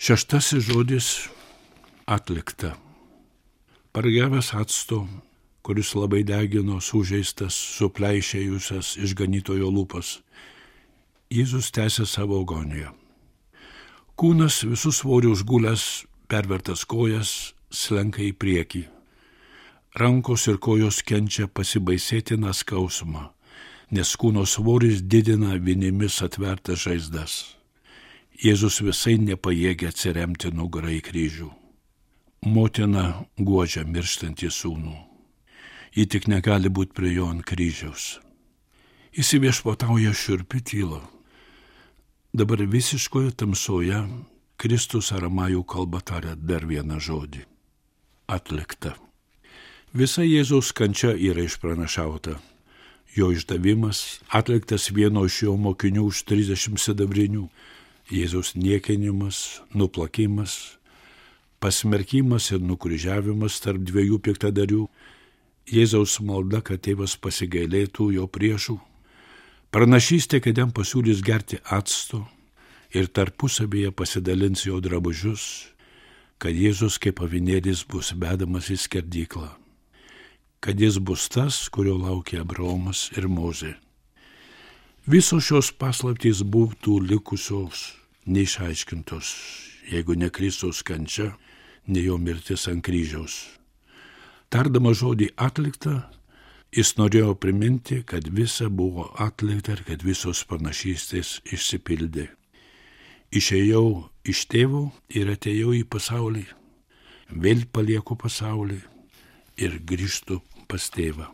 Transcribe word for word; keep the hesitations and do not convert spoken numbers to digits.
Šeštasis žodis - atlikta. Paragavęs acto, kuris labai degino sužeistas, supleišėjusias išganytojo lūpas, Jėzus tęsė savo agoniją. Kūnas visus svorių užgulęs, pervertas kojas, slenka į priekį. Rankos ir kojos kenčia pasibaisėtiną skausmą, nes kūno svoris didina vinimis atvertas žaizdas. Jėzus visai nepajėgia atsiremti nugarą į kryžių. Motina guodžia mirštantį sūnų. Ji tik negali būti prie jo ant kryžiaus. Įsiviešpatauja šiurpi tyla. Dabar visiškoje tamsoje Kristus aramajų kalba taria dar vieną žodį - atlikta. Visa Jėzaus kančia yra išpranašauta. Jo išdavimas atliktas vieno iš jo mokinių už trisdešimt sidabrinių. Jėzaus niekinimas, nuplakimas, pasmerkimas ir nukryžiavimas tarp dviejų piktadarių. Jėzaus malda, kad tėvas pasigailėtų jo priešų. Pranašystė, kad jam pasiūlys gerti acto ir tarpusavėje pasidalins jo drabužius, kad Jėzus kaip avinėlis bus bedamas į skerdyklą, kad jis bus tas, kurio laukia Abraomas ir Mozė. Visos šios paslaptys būtų likusios neišaiškintos, jeigu ne Kristaus kančia, ne jo mirtis ant kryžiaus. Tardama žodį atlikta, jis norėjo priminti, kad visa buvo atlikta ir kad visos pranašystės išsipildė. Išėjau iš tėvo ir atėjau į pasaulį, vėl palieku pasaulį ir grįžtu pas tėvą.